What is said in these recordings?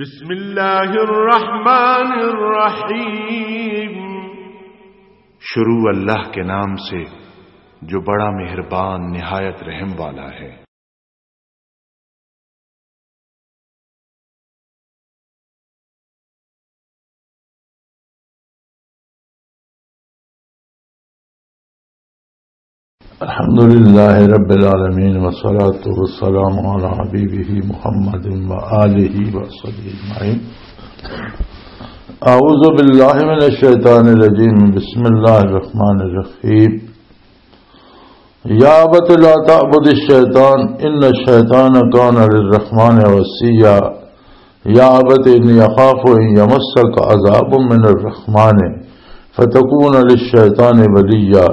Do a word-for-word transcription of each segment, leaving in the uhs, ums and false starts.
بسم اللہ الرحمن الرحیم۔ شروع اللہ کے نام سے، جو بڑا مہربان، نہایت رحم والا ہے۔ الحمد لله رب العالمين، والصلاة والسلام على حبيبه محمد وآله وصحبه أجمعين. أعوذ بالله من الشيطان الرجيم. بسم الله الرحمن الرحيم. يا أبت لا تعبد الشيطان، إن الشيطان كان للرحمن عصيا. يا أبت إني أخاف أن يمسك عذاب من الرحمن فتكون للشيطان وليا.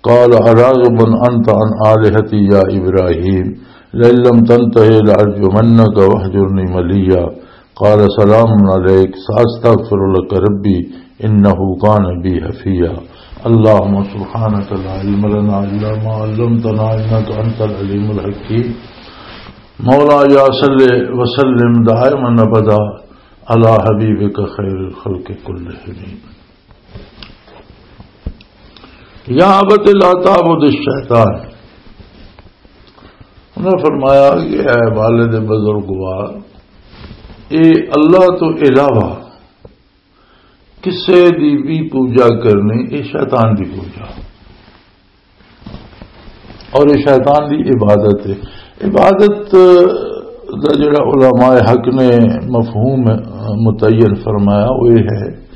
قال أراغب أنت عن آلهتي يا إبراهيم، لئن لم تنته لأرجمنك واهجرني مليا. قال سلام عليك سأستغفر لك ربي إنه كان بي حفيا. اللهم سبحانك لا علم لنا إلا ما علمتنا إنك أنت العليم الحكيم. مولاي صل وسلم دائما أبدا على حبيبك خير الخلق كلهم. یا ابت لا تعبد الشیطان۔ انہاں فرمایا کہ اے والد بزرگوار، اے اللہ تو علاوہ کسے دی بھی پوجا کرنی، اے شیطان دی پوجا۔ اور یہ شیطان دی عبادت ہے۔ عبادت دا جڑا علماء حق نے مفہوم متعین فرمایا، وہ یہ ہے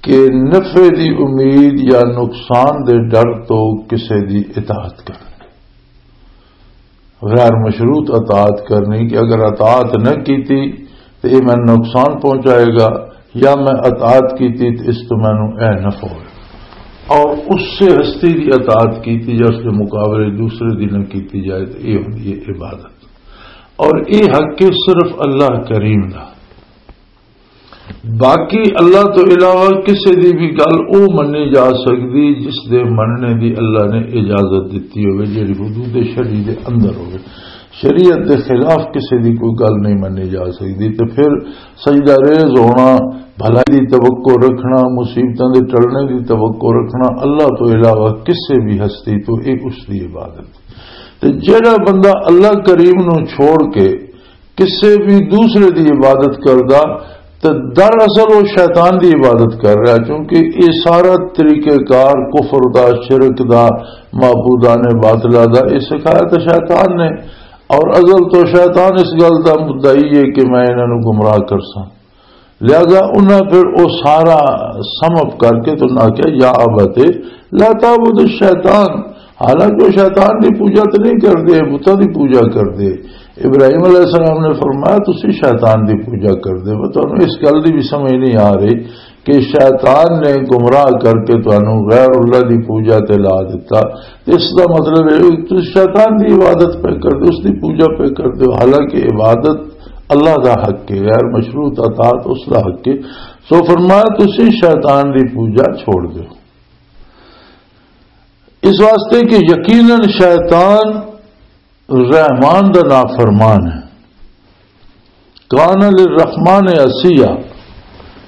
کہ نفع دی امید یا نقصان دے ڈر تو کسے دی اطاعت کرنا، غیر مشروط اطاعت کرنی، کہ اگر اطاعت نہ کیتی تو یہ میں نقصان پہنچائے گا، یا میں اطاعت کیتی تو اس تو مینوں اے نفع ہوئے۔ اور اس سے ہستی دی اطاعت کیتی یا اس کے مقابلے دوسرے دی نہ کیتی جائے تو یہ ہوندی ہے عبادت۔ اور یہ حق ہے صرف اللہ کریم دا۔ باقی اللہ تو علاوہ کسے دی بھی گل او منی جا سکدی جس دے مننے دی اللہ نے اجازت دتی ہوئے، جڑی حدود شرعی دے اندر ہوئے۔ شریعت دے خلاف کسے دی کوئی گل نہیں منی جا سکدی۔ تے پھر سجدہ ریز ہونا، بھلائی دی توقع رکھنا، مصیبتاں دے ٹلنے دی توقع رکھنا، اللہ تو علاوہ کسے بھی ہستی تو، اے اس دی عبادت۔ تے جڑا بندہ اللہ کریم نو چھوڑ کے کسے بھی دوسرے دی عبادت کردا، تے دراصل وہ شیطان دی عبادت کر رہا، کیونکہ یہ سارا طریقہ کار کفر دا، شرک دا، معبودان باطلہ دا، یہ سکھایا تو شیطان نے۔ اور ازل تو شیطان اس گل دا مدعی ہے کہ میں انہاں نوں گمراہ کرساں۔ لہذا انہاں پھر وہ سارا سم اپ کر کے تو انہاں آکھیا، یا ابت لا تعبد الشیطان، حالانکہ وہ شیطان دی پوجا تو نہیں کردے، بتاں دی پوجا کردے۔ ابراہیم علیہ السلام نے فرمایا، تسی شیطان دی پوجا کردے۔ وہ تانوں اس گل دی بھی سمجھ نہیں آ رہی کہ شیطان نے گمراہ کر کے تانوں غیر اللہ دی پوجا تے لا دتا۔ اس دا مطلب ہے کہ تسی شیطان دی عبادت پہ کردے، اس دی پوجا پہ کردے ہو، حالانکہ عبادت اللہ دا حق ہے، غیر مشروط اطاعت اس دا حق ہے۔ سو فرمایا، تسی شیطان دی پوجا چھوڑ دیو۔ اس واسطے کہ یقیناً شیطان رحمان دا نافرمان ہے۔ کان للرحمن عصیا،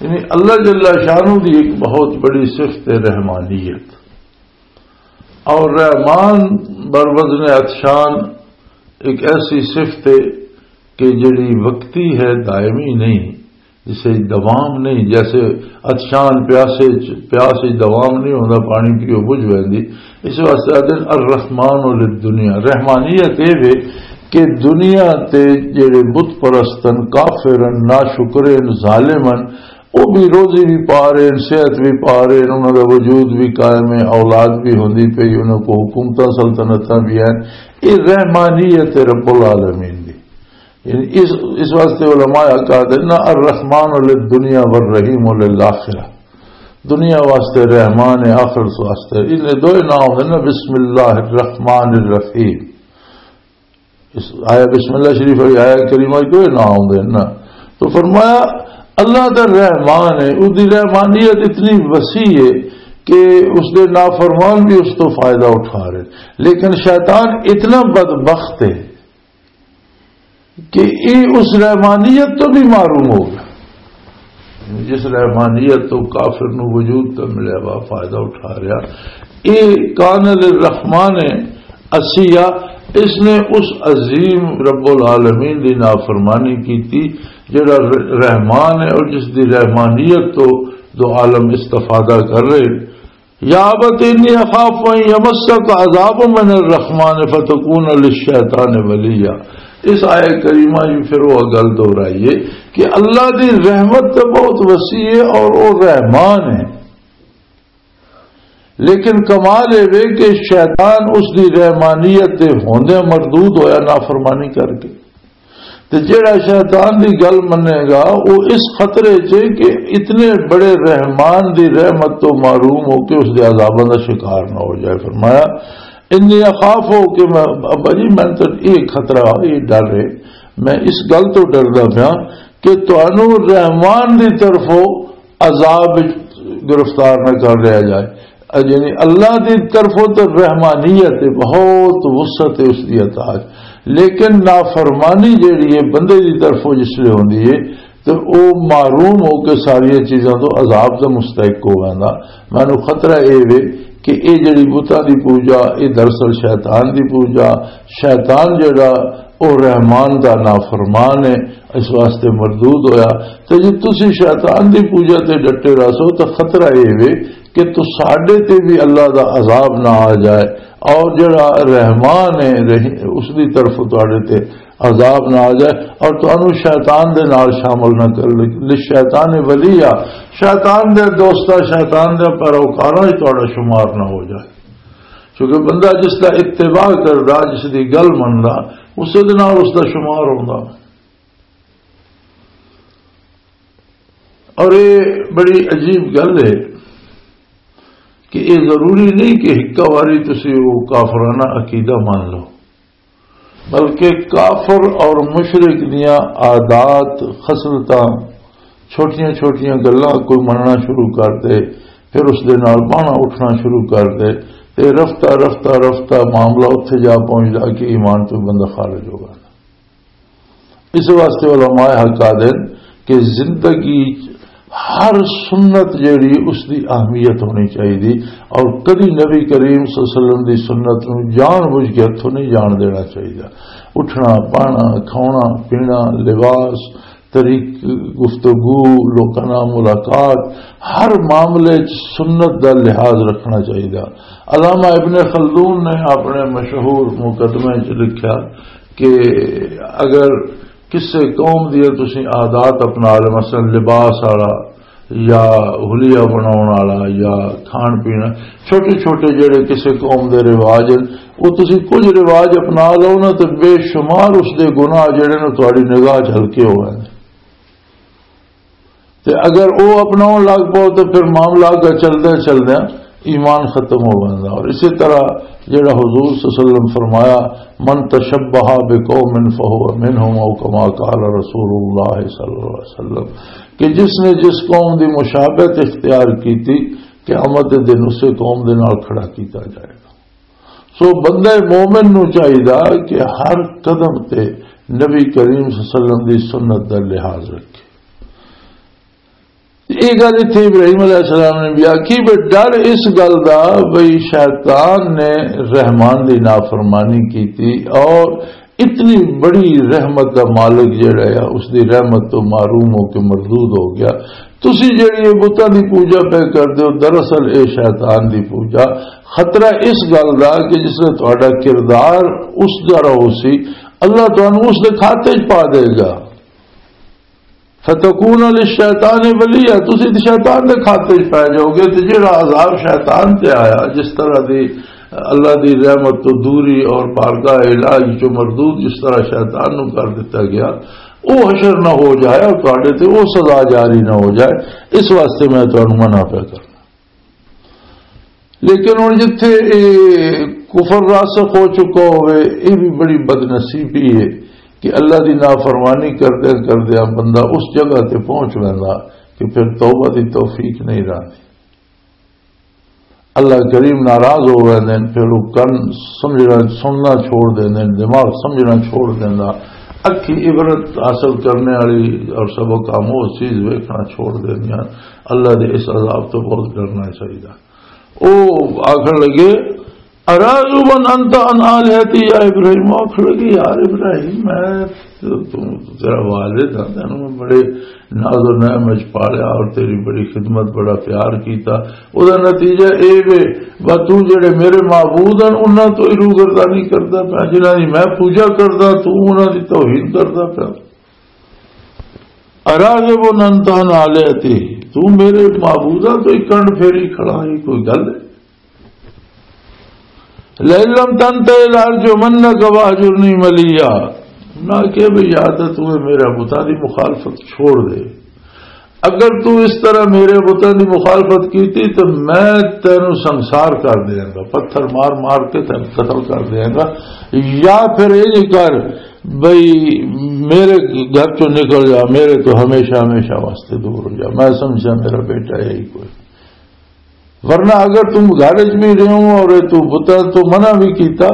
یعنی اللہ جل شانہ دی ایک بہت بڑی صفت ہے رحمانیت۔ اور رحمان بر وزن عطشان ایک ایسی صفت ہے کہ جڑی وقتی ہے، دائمی نہیں، جسے دوام نہیں، جیسے عطشان پیاسے چ-، پیاس وچ دوام نہیں ہوندا، پانی پیو بجھ ویندی۔ اس واسطے آدھے الرحمن للدنیا، رحمانیت اے وے کہ دنیا تے جڑے بت پرست ہن، کافر ہن، ناشکر ہن، ظالم ہن، وہ بھی روزی بھی پا رہے ہیں، صحت بھی پا رہے ہیں، انہوں کا وجود بھی قائم ہے، اولاد بھی ہوندی پئی، انہوں کو حکومتاں سلطنتاں بھی ہیں۔ یہ رحمانیت رب العالمین دی۔ یعنی اس، اس واسطے علماء کہتے ہیں نا، الرحمن للدنیا والرحیم للآخرہ۔ دنیا واسطے رحمان ہے، آخرت واسطے۔ ان دو نام ہیں نا، بسم اللہ الرحمن الرحیم۔ اس آیا بسم اللہ شریف والی آیا کریمہ جو نہ آؤندے نا۔ تو فرمایا، اللہ دا رحمان ہے، اس دی رحمانیت اتنی وسیع ہے کہ اس دے نافرمان بھی اس تو فائدہ اٹھا رہے، لیکن شیطان اتنا بدبخت ہے کہ یہ اس رحمانیت تو بھی محروم ہو گیا، جس رحمانیت تو کافر نو وجود تو ملیا ہوا فائدہ اٹھا رہا۔ یہ کان الرحمن اسیا، اس نے اس عظیم رب العالمین دی نافرمانی کی تھی، جڑا ر-، رحمان ہے اور جس دی رحمانیت تو دو عالم استفادہ کر رہے۔ یا ابت انی اخاف ان یمسک عذاب من الرحمن فتکون للشیطان ولیا۔ اس آیت کریمہ جی پھر وہ گل دہرائی ہے کہ اللہ دی رحمت تو بہت وسیع ہے اور وہ رحمان ہے، لیکن کمال یہ وے کہ شیطان اس دی رحمانیت دے ہوندے مردود ہویا نافرمانی کر کے۔ تے جیڑا شیطان دی گل منے گا، وہ اس خطرے چ کہ اتنے بڑے رحمان دی رحمت تو محروم ہو کے اس دے عذاباں دا شکار نہ ہو جائے۔ فرمایا، انی اخاف ہو کہ میں، ابا جی، میں تو یہ خطرہ، یہ ڈر ہے، میں اس گل تو ڈردا پیا کہ تانوں رحمان دی طرفوں عذاب وچ گرفتار نہ کر لیا جائے۔ یعنی اللہ دی طرفوں تو رحمانیت ہے، بہت وسعت ہے اس دی عطا چ، لیکن نافرمانی جیڑی ہے بندے دی طرفوں جس لے ہوندی ہے تو او محروم ہو کے ساری چیزاں تو عذاب دا مستحق ہو ویندا۔ مینوں خطرہ اے وے کہ اے جیڑی بتاں دی پوجا، اے دراصل شیطان دی پوجا، شیطان جیڑا او رحمان دا نافرمان ہے، اس واسطے مردود ہویا۔ تے جے تسی شیطان دی پوجا تے ڈٹے رہسو تاں خطرہ اے وے کہ تساڈے تے بھی اللہ دا عذاب نہ آ جائے، اور جڑا رحمان ہے، رحی-، اس دی طرف تہاڈے تے عذاب نہ آ جائے، اور تانوں شیطان دے نال شامل نہ کر لے۔ للشیطان ولیا، شیطان دے دوستا، شیطان دے پیروکاراں وچ تہاڈا شمار نہ ہو جائے، کیونکہ بندہ جس دا اتباع کردا، جس دی گل مندا، اس دے نال اس دا شمار ہوندا۔ اور یہ بڑی عجیب گل ہے کہ یہ ضروری نہیں کہ ہکا واری تسی وہ کافرانہ عقیدہ مان لو، بلکہ کافر اور مشرک دیاں عادات، خصلتاں، چھوٹیاں چھوٹیاں گلاں کوئی مننا شروع کر دے، پھر اس دے نال باہنا اٹھنا شروع کر دے، تے رفتہ رفتہ رفتہ معاملہ اتھے جا پہنچدا کہ ایمان تو بندہ خارج ہو گیا۔ اس واسطے علماء حق آدن کہ زندگی ہر سنت جیڑی اس دی اہمیت ہونی چاہیے، اور کدی نبی کریم صلی اللہ علیہ وسلم دی سنت نو جان بوجھ کے ہتھوں نہیں جان دینا چاہیے۔ اٹھنا، پانا، کھانا، پینا، لباس، طریق، گفتگو، لوکاں نال ملاقات، ہر معاملے چ سنت دا لحاظ رکھنا چاہیے۔ علامہ ابن خلدون نے اپنے مشہور مقدمے چ لکھیا کہ اگر کسے قوم دی تسی عادات اپنا لے، مثلاً لباس والا یا حلیہ بناؤن والا یا کھان پین، چھوٹے چھوٹے جڑے کسے قوم دے رواج ہیں، وہ تسی کچھ رواج اپنا لو نا، تے بے شمار اس دے گناہ جڑے نے تہاڈی نگاہ چ ہلکے ہو گئے۔ تے اگر او اپناؤن لگ پاؤ تے پھر معاملہ اگے چلدے چلدے ایمان ختم ہو جاندا۔ اور اسی طرح جڑا حضور صلی اللہ علیہ وسلم فرمایا، "من تشبہ بقوم فہو منہم" او کما قال رسول اللہ صلی اللہ علیہ وسلم، کہ جس نے جس قوم دی مشابہت اختیار کیتی، قیامت دے دن اسے قوم دے نال کھڑا کیتا جائے گا۔ سو بندہ مومن نو چاہیدا کہ ہر قدم تے نبی کریم صلی اللہ علیہ وسلم دی سنت دا لحاظ رکھے۔ یہ گل اتھے ابراہیم علیہ السلام نے بھی آکھی، بھی ڈر اس گل دا بھئی شیطان نے رحمان دی نافرمانی کیتی اور اتنی بڑی رحمت دا مالک جڑا ہے، اس دی رحمت تو محروم ہو کے مردود ہو گیا۔ تسی جڑی یہ بتاں دی پوجا پہ کر دیو، دراصل اے شیطان دی پوجا۔ خطرہ اس گل دا کہ جس نے تہاڈا کردار اس طرح ہو سی، اللہ تانوں اس دے کھاتے چ پا دے گا۔ فتکون للشیطان ولیا، تسی تے شیطان دے کھاتے وچ پے جاؤ گے۔ تے جڑا عذاب شیطان تے آیا، جس طرح دی اللہ دی رحمت تو دوری اور بارگاہ الہی چوں مردود جس طرح شیطان نو کر دتا گیا، او حشر نہ ہو جائے اور تہاڈے تے او سزا جاری نہ ہو جائے، اس واسطے میں تانوں منع پیا کرنا۔ لیکن ہن جتھے اے کفر راسخ ہو چکا ہوئے، اے بھی بڑی بدنصیبی ہے کہ اللہ دی نافرمانی کردے کردے بندہ اس جگہ تے پہنچ ویندا کہ پھر توبہ دی توفیق نہیں رہندی۔ اللہ کریم ناراض ہو ویندے نے، پھر وہ کن سمجھنا، سننا چھوڑ دیندے نے، دماغ سمجھنا چھوڑ دیندا۔ اکھی عبرت حاصل کرنے والی اور سبق آموز چیز ویکھنا چھوڑ دیندیاں۔ اللہ دے اس عذاب تو بہت ڈرنا چاہیے۔ او آخر لگے، "اراغب انت عن آلہتی یا ابراہیم؟" آخر لگے، "یار ابراہیم، میں تو، تو تیرا والد ہاں، تینوں میں بڑے ناز و نعم وچ پالیا اور تیری بڑی خدمت، بڑا پیار کیتا۔ او دا نتیجہ اے وے، بس تو جڑے میرے معبود ہیں، انہاں تو ہی روگردانی کردا پیا، جنہاں دی میں پوجا کردا، تو انہاں دی توہین کردا پیا۔ اراغب انت عن آلہتی، تو میرے معبوداں تو ہی کنڈ پھیری کھڑا ہے، کوئی گل ہے؟" "لئن لم تنتہ لارجمنک واہجرنی ملیہ۔" نہ کہ بھئی، یا تو تو میرا بتاں دی مخالفت چھوڑ دے۔ اگر تو اس طرح میرے بتاں دی مخالفت کیتی تو میں تینوں سنسار کر دیاں گا، پتھر مار مار کے تینوں قتل کر دیاں گا۔ یا پھر یہ کر بھئی، میرے گھر چوں نکل جا، میرے تو ہمیشہ ہمیشہ واسطے دور ہو جا۔ میں سمجھا میرا بیٹا یہی کوئی، ورنہ اگر تم گھر وچ بھی رہو اور تو بتاں تو منع بھی کیتا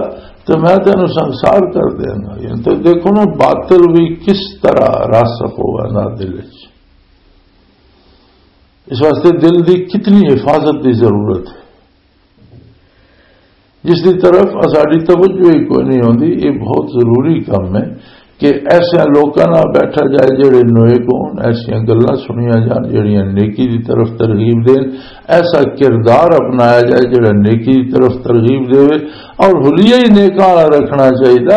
تو میں تینوں سنسار کر دیاں گا۔ یعنی تو دیکھو نا، باطل بھی کس طرح راسخ ہوا نا دل وچ۔ اس واسطے دل دی کتنی حفاظت دی ضرورت ہے، جس دی طرف اساڈی توجہ ہی کوئی نہیں ہوندی۔ یہ بہت ضروری کام ہے کہ ایسے لوکاں نال بیٹھا جائے جڑے نیک ہون، ایسیاں گلاں سنیاں جان جڑیاں نیکی دی طرف ترغیب دین، ایسا کردار اپنایا جائے جڑا نیکی دی طرف ترغیب دے، اور حلیہ ہی نیکاں والا رکھنا چاہیے۔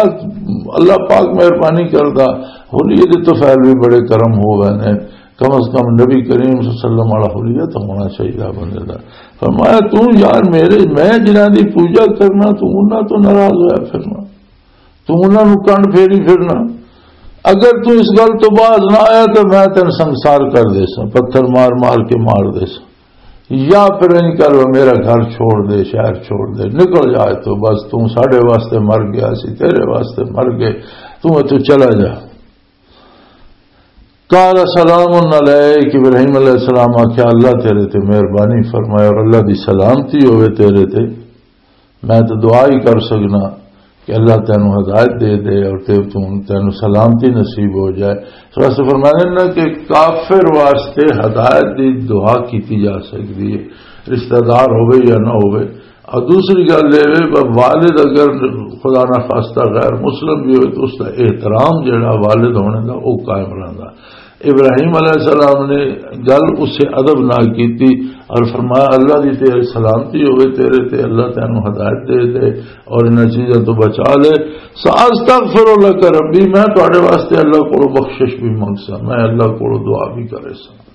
اللہ پاک مہربانی کردا، حلیے دے طفیل بھی بڑے کرم ہو گئے نے۔ کم از کم نبی کریم صلی اللہ علیہ وسلم والا حلیہ تو ہونا چاہیے بندے دا۔ فرمایا، تو یار میرے، میں جنہاں دی پوجا کرنا، تو انہاں تو ناراض ہویا پھرنا، تو انہاں نو کنڈ پھیری پھرنا۔ اگر تو اس گل تو باز نہ آیا تو میں تینوں سنسار کر دے ساں، پتھر مار مار کے مار دے ساں، یا پھر انج کر، میرا گھر چھوڑ دے، شہر چھوڑ دے، نکل جائے تو بس، تو ساڈے واسطے مر گیا، اسی تیرے واسطے مر گئے، تو اتوں چلا جا۔ قال سلام علیک، ابراہیم علیہ السلام آکھیا، "اللہ تیرے تے مہربانی فرمائے اور اللہ دی سلامتی ہوئے تیرے تے۔ میں تو دعا ہی کر سکنا کہ اللہ تینوں ہدایت دے دے اور تے توں، تینوں سلامتی نصیب ہو جائے۔" اس واسطے فرمایا نا کہ کافر واسطے ہدایت دی دعا کیتی جا سکدی ہے، رشتہ دار ہوئے یا نہ ہوئے۔ اور دوسری گل یہ وے، ب-، والد اگر خدا نہ خواستہ غیر مسلم بھی ہوئے تو اس کا احترام جڑا والد ہونے دا، وہ قائم رہندا۔ ابراہیم علیہ السلام نے گل اسے ادب نال کیتی اور فرمایا، "اللہ دی تے سلامتی ہوئے تیرے تے، اللہ تینوں ہدایت دے دے اور انہاں چیزاں تو بچا لے۔ سأستغفر لک ربی، میں تواڈے واسطے اللہ کولوں بخشش بھی منگ سا، میں اللہ کولوں دعا بھی کرے سا۔"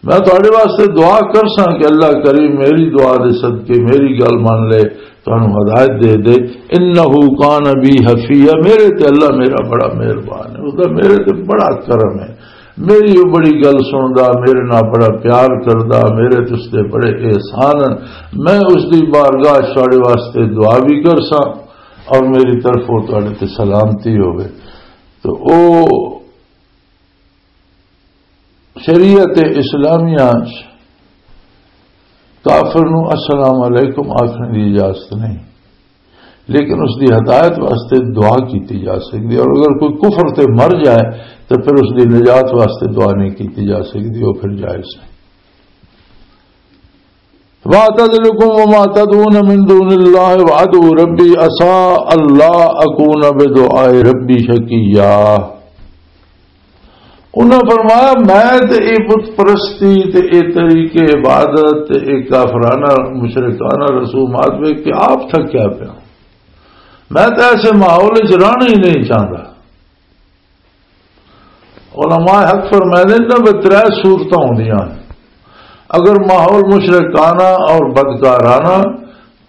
میں تہاڈے واسطے دعا کر ساں کہ اللہ کریم میری دعا دے صدقے میری گل من لے، تانوں ہدایت دے دے۔ انہ کان بی حفیہ، میرے تے اللہ میرا بڑا مہربان ہے، اس دا میرے تے بڑا کرم ہے، میری وہ بڑی گل سندا، میرے نال بڑا پیار کردا، میرے تے اس دے بڑے احسان ہیں۔ میں اس دی بارگاہ چ تہاڈے واسطے دعا بھی کر ساں اور میری طرف وہ تہاڈے تے سلامتی ہوے۔ تو او شریعت اسلامیہ چ کافر نو السلام علیکم آکھنے دی اجازت نہیں، لیکن اس دی ہدایت واسطے دعا کیتی جا سکدی ہے، اور اگر کوئی کفر تے مر جائے تو پھر اس دی نجات واسطے دعا نہیں کیتی جا سکدی، وہ پھر جائز نہیں۔ وَأَعْتَزِلُكُمْ وَمَا تَدْعُونَ مِن دُونِ اللَّهِ وَأَدْعُو رَبِّي عَسَىٰ أَلَّا أَكُونَ بِدُعَاءِ رَبِّي شَقِيًّا۔ انہاں فرمایا، میں تے اے بت پرستی تے اے طریقے عبادت تے اے کافرانہ مشرکانہ رسومات وے کہ آپ تھکیا پیا۔ میں تے ایسے ماحول وچ رہنا ہی نہیں چاہتا۔ علماء حق فرمائے نے، انہاں وچ ترے صورتاں ہوندیاں۔ اگر ماحول مشرکانہ اور بدکارانہ،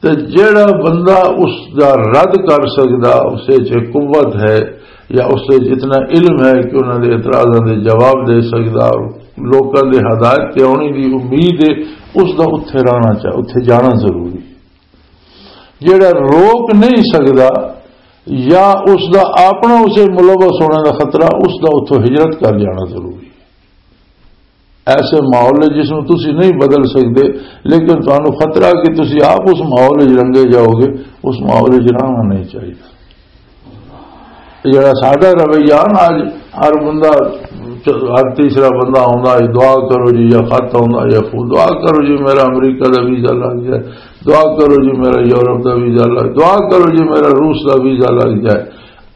تے جیڑا بندہ اس دا رد کر سکدا، اس وچ قوت ہے یا اس وچ اتنا علم ہے کہ انہاں دے اعتراضاں دے جواب دے سکدا اور لوکاں دے ہدایت تے آنی دی امید ہے، اس دا اتھے رہنا چاہیے، اتھے جانا ضروری ہے۔ جیڑا روک نہیں سکدا یا اس دا اپنا اسے ملوث ہونے دا خطرہ، اس دا اتھوں ہجرت کر جانا ضروری ہے۔ ایسے ماحول ہے جس میں تسی نہیں بدل سکتے، لیکن تانوں خطرہ کہ تسی آپ اس ماحول وچ رنگے جاؤ گے، اس ماحول وچ رہنا نہیں چاہیے۔ جڑا ساڈا رویہ نا، اج ہر بندہ، ہر تیسرا بندہ آوندا ہے، "دعا کرو جی"، یا خط آوندا، یا فون، "دعا کرو جی، میرا امریکہ دا ویزا لگ جائے، دعا کرو جی، میرا یورپ دا ویزا لگ، دعا کرو جی، میرا روس دا ویزا لگ جائے۔"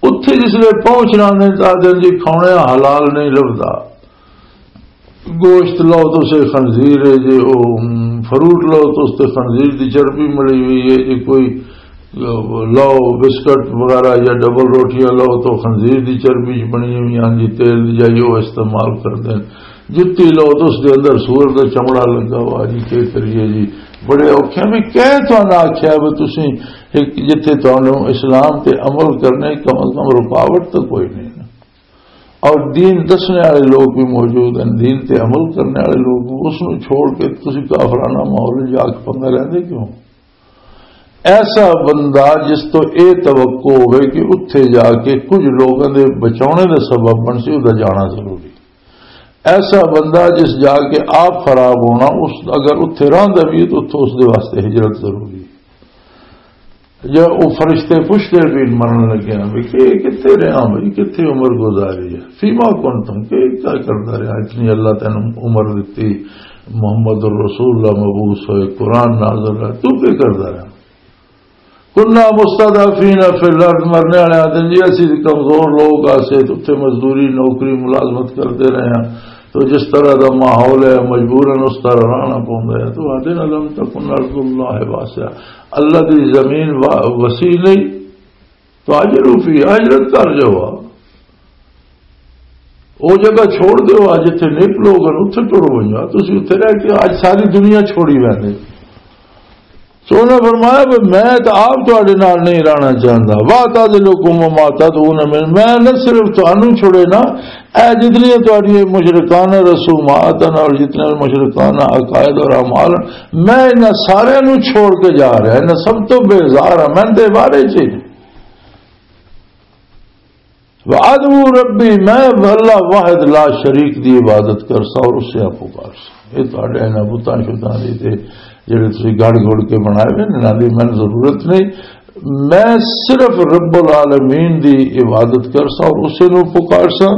اتھے جس لے پہنچنا نے، تو آدھے جی، "کھانے حلال نہیں لبدا۔" گوشت لو تو اسے خنزیر ہے جی، او، ام، فروٹ لو تو اس تے خنزیر دی چربی ملی ہوئی ہے جی، کوئی، آ، لو بسکٹ وغیرہ یا ڈبل روٹیاں لو تو خنزیر دی چربی چ بنی ہوئی ہیں جی، تیل دی جائی وہ استعمال کردے ہیں۔ جتی لو تو اس دے اندر سور دا چمڑا لگا ہوا جی، کیا کریے جی، بڑے اوکھے ہیں۔ بھی کہہ تو نہ آکھیا بھی تسی ایک جتھے تانوں اسلام تے عمل کرنے کم از کم رکاوٹ تو کوئی نہیں نا۔ اور دین دسنے والے لوگ بھی موجود ہیں، دین تے عمل کرنے والے لوگ، اس نوں چھوڑ کے تسی کافرانہ ماحول وچ جا کے پنگا لیندے کیوں؟ ایسا بندہ جس تو اے توقع ہوئے کہ اتھے جا کے کچھ لوگوں دے بچاؤنے دا سبب بن سی، او دا جانا ضروری۔ ایسا بندہ جس جا کے آپ خراب ہونا، اس، اگر اتھے رہندا بھی ہے تو اتھوں اس دے واسطے ہجرت ضروری ہے۔ جا او فرشتے پوچھتے بھی مرن لگے ہیں بھی کہ کتھے رہا بھائی، کتھے عمر گزاری ہے، فیما کنتم، کہ کیا کردا رہا اتنی اللہ تینوں عمر دتی، محمد الرسول اللہ مبعوث ہوئے، قرآن نازل ہے، تو کیا کردا رہا؟ کنا مستضعفین فی الارض، مرنے والے آدھے جی اسی کمزور لوگ آسے تو اتھے مزدوری، نوکری، ملازمت کرتے رہے ہیں، تو جس طرح دا ماحول ہے مجبوراً اس طرح رہنا پوندا ہے۔ تو آدھے لم تکن ارض اللہ واسعہ، اللہ دی زمین وا-، وسیع نہیں، تو ہاجروا فیہا، ہجرت کر جاؤ، او جگہ چھوڑ دیو، اج اتھے نیک لوگ ہیں، اتھے ٹر ونجو، تسی اتھے رہ کے اج ساری دنیا چھوڑی ویندے۔ سو انہاں فرمایا بھی میں تے آپ تہاڈے نال نہیں رہنا چاہندا۔ وا تعذلکم وما تدعون من، میں نہ صرف تانوں چھوڑے نا، اے جتنی تہاڈی مشرکانہ رسومات ہیں اور جتنے مشرکانہ عقائد اور اعمال ہیں، میں انہاں سارے نوں چھوڑ کے جا رہا، انہاں سب تو بیزار ہاں، میں تے بارے چ وَأَدْعُو رَبِّي، میں اللہ واحد لا شریک دی عبادت کرسا اور اسے آپ پکارسا۔ یہ تہاڈے انہاں بتاں شتاں دی تے جڑے تسی گڑ گڑ کے بنائے ہوئے نے، انہاں دی مینوں ضرورت نہیں۔ میں صرف رب العالمین دی عبادت کرسا اور اسے نو پکارسا۔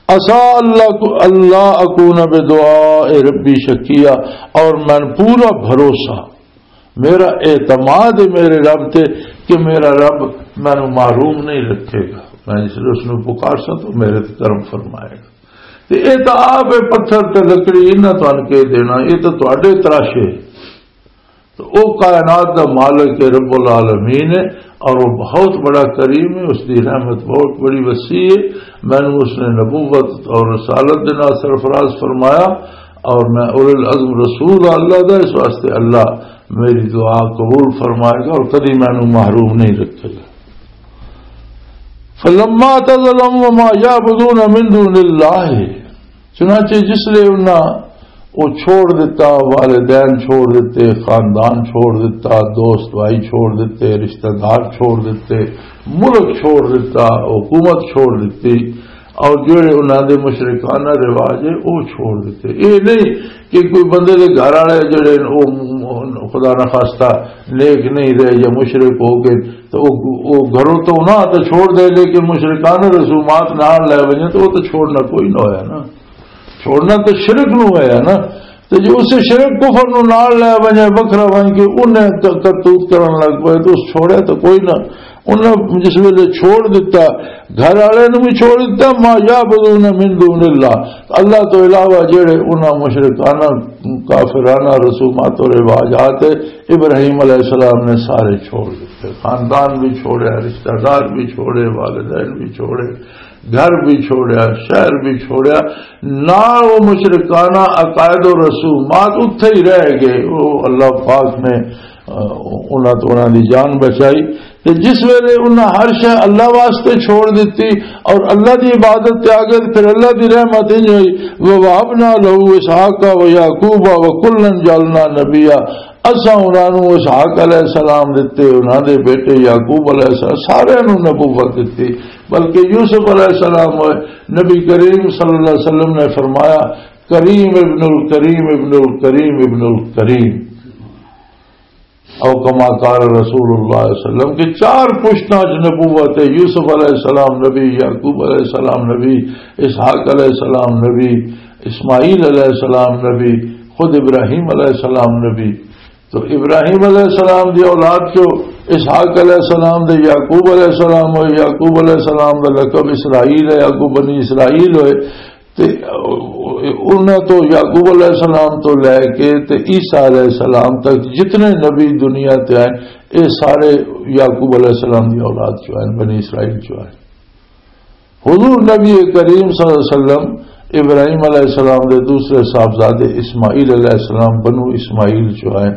عسیٰ اللہ کو، اللہ اکون بدعاء ربی شقیا، اور میں پورا بھروسہ، میرا اعتماد ہے میرے رب تے کہ میرا رب مینوں محروم نہیں رکھے گا۔ میں جس لے اس نوں پکار ساں تو میرے تے کرم فرمائے گا۔ تے اے تاں آپ ہے، پتھر تے لکڑی، انہاں تانوں کے دینا، اے تاں تہاڈے تراشے۔ تو او کائنات دا مالک ہے، رب العالمین ہے، اور وہ بہت بڑا کریم ہے، اس دی رحمت بہت بڑی وسیع ہے۔ مینوں اس نے نبوت اور رسالت دے نال سرفراز فرمایا، اور میں اولو العزم رسول ہاں اللہ دا، اس واسطے اللہ میری دعا قبول فرمائے گا اور کدی مینوں محروم نہیں رکھے گا۔ فلما اعتزلهم وما يعبدون من دون الله، چنانچہ جس لے انہاں وہ چھوڑ دیتا، والدین چھوڑ دیتے، خاندان چھوڑ دیتا، دوست بھائی چھوڑ دیتے، رشتہ دار چھوڑ دیتے، ملک چھوڑ دیتا، حکومت چھوڑ دیتی، اور جڑے انہاں دے مشرکانہ رواج ہے، وہ چھوڑ دیتے۔ یہ نہیں کہ کوئی بندے دے گھر والے جڑے او خدا نہ خواستہ نیک نہیں رہے یا مشرک ہو گئے، تو او، او گھروں تو نہ تو چھوڑ دے، لیکن مشرکانہ رسومات نال لے ونجے تو وہ تو چھوڑنا کوئی نہ ہویا نا۔ چھوڑنا تو شرک نو ہویا نا۔ تو جو اسے شرک کفر نو نال لے ونجے، وکھرا ون کے انہیں ک-، کرتوت کرن لگ پئے، تو اس چھوڑے تو کوئی نہ۔ انہیں جس ویلے چھوڑ دیتا، گھر والے نو بھی چھوڑ دیتا، ما یعبدون من دون اللہ، اللہ تو علاوہ جڑے انہاں مشرکانہ، کافرانہ رسومات و رواجات ابراہیم علیہ السلام نے سارے چھوڑ دیتے، خاندان بھی چھوڑے، رشتہ دار بھی چھوڑے، والدین بھی چھوڑے، گھر بھی چھوڑیا، شہر بھی چھوڑیا، نال وہ مشرکانہ عقائد و رسومات اتھے ہی رہ گئے۔ وہ اللہ پاک نے، آ، انہاں تو انہاں دی جان بچائی۔ تے جس ویلے انہاں ہر شے اللہ واسطے چھوڑ دتی اور اللہ دی عبادت تے آ گئے، پھر اللہ دی رحمت انج ہوئی، "وَوَهَبْنَا لَهُ إِسْحَاقَ وَيَعْقُوبَ وَكُلًّا جَعَلْنَا نَبِيًّا۔" اساں انہاں نوں اسحاق علیہ السلام دتے، انہاں دے بیٹے یعقوب علیہ السلام، سارے نوں نبوت دتی۔ بلکہ یوسف علیہ السلام ہوئے، نبی کریم صلی اللہ علیہ وسلم نے فرمایا، "کریم ابن الکریم، ابن الکریم، ابن الکریم۔" او کما قال رسول اللہ صلی اللہ علیہ وسلم، کہ چار پشتاں چ نبوت ہے۔ یوسف علیہ السلام نبی، یعقوب علیہ السلام نبی، اسحاق علیہ السلام نبی، اسماعیل علیہ السلام نبی، خود ابراہیم علیہ السلام نبی۔ تو ابراہیم علیہ السلام دی اولاد چو اسحاق علیہ السلام دے، یعقوب علیہ السلام ہوئے، یعقوب علیہ السلام دا لقب اسرائیل ہے، اگوں بنی اسرائیل ہوئے۔ تے انہاں تو، یعقوب علیہ السلام تو لے کے تے عیسیٰ علیہ السلام تک جتنے نبی دنیا تے آئے، اے سارے یعقوب علیہ السلام دی اولاد چو آئے، بنی اسرائیل چو آئے۔ حضور نبی کریم صلی اللہ علیہ وسلم ابراہیم علیہ السلام دے دوسرے صاحبزادے اسماعیل علیہ السلام بنو اسماعیل چو آئے،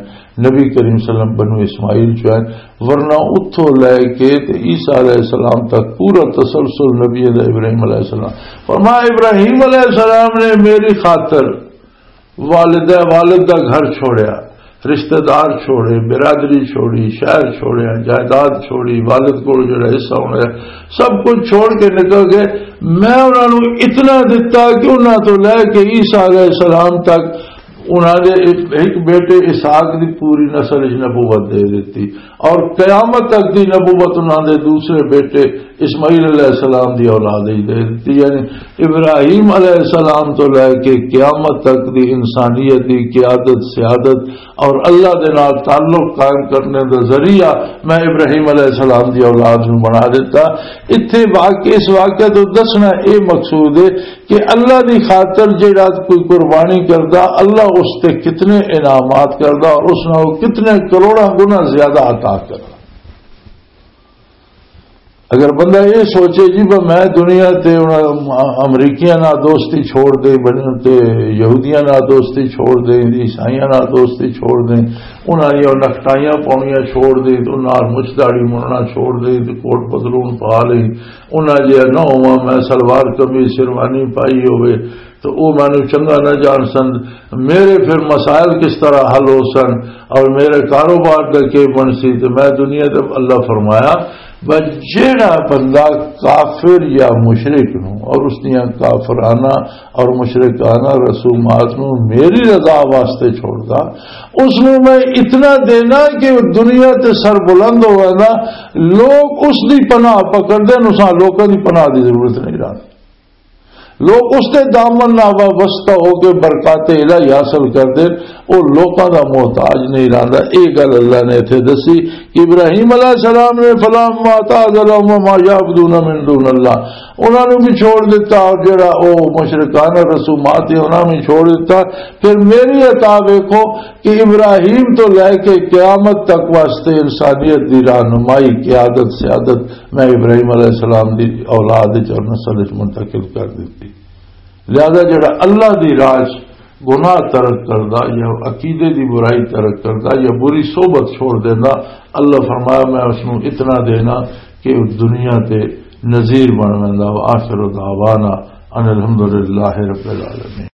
نبی کریم صلی اللہ علیہ وسلم بنو اسماعیل چو آئے، ورنہ اتھوں لے کے تے عیسیٰ علیہ السلام تک پورا تسلسل نبی دا ابراہیم علیہ السلام۔ فرمایا، ابراہیم علیہ السلام نے میری خاطر والدہ، والد دا گھر چھوڑیا، رشتہ دار چھوڑے، برادری چھوڑی، شہر چھوڑیا، جائیداد چھوڑی، والد کول جڑا حصہ ہونا ہے، سب کچھ چھوڑ کے نکل گئے۔ میں انہاں نوں اتنا دتا کہ انہاں تو لے کے عیسیٰ علیہ السلام تک انہاں دے ایک، ایک بیٹے اسحاق دی پوری نسل وچ نبوت دے دتی، اور قیامت تک دی نبوت انہاں دے دوسرے بیٹے اسماعیل علیہ السلام دی اولاد وچ دے دتی۔ یعنی ابراہیم علیہ السلام تو لے کے قیامت تک دی انسانیت دی قیادت، سیادت اور اللہ دے نال تعلق قائم کرنے دا ذریعہ میں ابراہیم علیہ السلام دی اولاد نوں بنا دیتا۔ اتھے واقع، اس واقعہ تو دسنا اے مقصود ہے کہ اللہ دی خاطر جیڑا کوئی قربانی کردا، اللہ اس تے کتنے انعامات کردا اور اس نال کتنے کروڑاں گنا زیادہ عطا کردا۔ اگر بندہ یہ سوچے جی، بس میں دنیا تے انہاں امریکیاں نال دوستی چھوڑ دے، بن-، تے یہودیاں نال دوستی چھوڑ دے، عیسائیاں نال دوستی چھوڑ دے، انہاں دیاں نکٹائیاں پاؤنیاں چھوڑ دے، تے انہاں نال مچ داڑھی مننا چھوڑ دے، تے کوٹ پتلون پا لئی، انہاں جیہا نہ ہوواں، میں سلوار قمیض شیروانی پائی ہوئے، تو او مینوں چنگا نہ جان سن، میرے پھر مسائل کس طرح حل ہو سن اور میرے کاروبار دا کی بن سی؟ تو میں دنیا تے اللہ فرمایا، بس جیڑا بندہ کافر یا مشرک نوں اور اس دیاں کافرانہ اور مشرکانہ رسومات نوں میری رضا واسطے چھوڑدا، اس نوں میں اتنا دینا کہ وہ دنیا تے سر بلند ہوئے نا، لوگ اس دی پناہ پکڑ دے، نساں لوکاں دی پناہ دی ضرورت نہیں رہتی۔ لوگ اس دے دامن نال وابستہ ہو کے برکات الہی حاصل کردے، او لوکاں دا محتاج نہیں رہندا۔ اے گل اللہ نے ایتھے دسی کہ ابراہیم علیہ السلام نے، فلما تعزلهم وما يعبدون من دون الله، انہاں نوں بھی چھوڑ دیتا، اور جڑا او مشرکانہ رسومات ہے انہاں بھی چھوڑ دیتا۔ پھر میری عطا ویکھو کہ ابراہیم تو لے کے قیامت تک واسطے انسانیت دی رہنمائی، قیادت، سیادت میں ابراہیم علیہ السلام دی اولاد وچ اور نسل وچ منتقل کر دتی۔ لہذا جڑا اللہ دی راہ چ گناہ ترک کردا یا عقیدے دی برائی ترک کردا یا بری صحبت چھوڑ دیندا، اللہ فرمایا، میں اس نوں اتنا دینا کہ وہ دنیا تے نذیر بن ویندا۔ وآخر دعوانا ان الحمدللہ رب العالمین۔